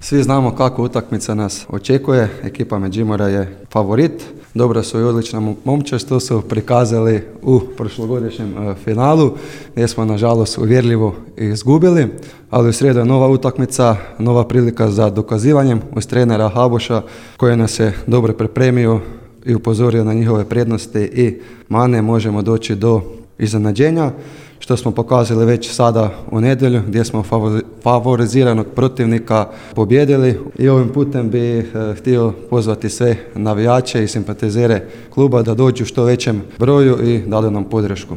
Svi znamo kako utakmica nas očekuje, ekipa Međimurja je favorit, dobro su i odlična momčad, to su prikazali u prošlogodišnjem finalu, gdje smo nažalost uvjerljivo izgubili, ali u srijedu je nova utakmica, nova prilika za dokazivanjem uz trenera Haboša koji nas je dobro pripremio i upozorio na njihove prednosti i mane, možemo doći do iznenađenja, što smo pokazali već sada u nedjelju gdje smo favoriziranog protivnika pobijedili i ovim putem bi htio pozvati sve navijače i simpatizere kluba da dođu u što većem broju i dali nam podršku.